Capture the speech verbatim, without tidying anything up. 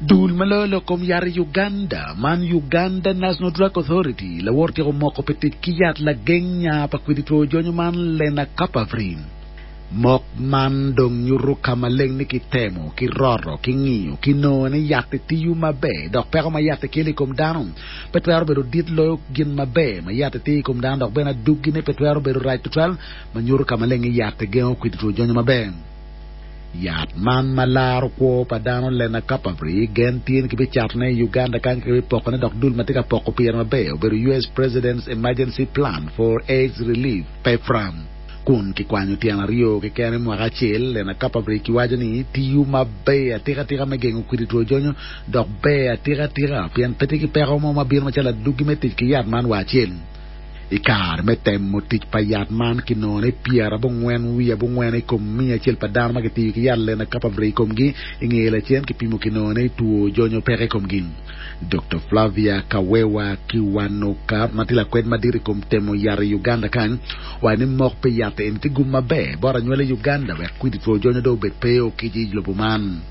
Dul ma loyo lok kom yat i Uganda man Uganda National Drug Authority lawor tyeko moko pi tic ki yat lageng nya pa kwidi two jonyo man Lenacapavir. Mok man dong nyuto ka maleng ni kitemo, kiroto, kingiyo, kinongo ni yat tiyo maber dok peko ma yat kelo i kom dano pe twero bedo dit loyo gin maber ma yat tiyo i kom dano dok bene adugine pe twero bedo rac tutwal ma nyuto ka maleng ni yat gengo kwidi two jonyo maber. Yat man ma laro kwo pa dano Lenacapavir gen tye ni kibicatone i Uganda kany kibipokone dok dul ma tye ka poko pire maber obedo US President's Emergency Plan for AIDS Relief PEPFAR. Kun kikwanyo tyen aryo keken i mwaka acel Lenacapavir kiwaco ni tiyo maber atikatika me gengo kwidi two jonyo dok ber atikatika pien pe tye ki peko mo ma bino macalo adwogi me tic ki yat man wa acel. I kare me temo tic pa yat man kinongo ni pyerabongwen wiye abongwen i kom miya acel pa dano ma gitiyo ki yat Lenacapavir i komgi i ngeye lacen kipimo kinongo ni two jonyo peke i komgi. Dr. Flavia Kawewa Kiwanuka ma tye lakwed madit i kom temo yat i Uganda kany owaco ni mok pi yat eni tye gum maber bot anywali i Uganda wek kwidi two jonyo dong obed pe okic i lobo man.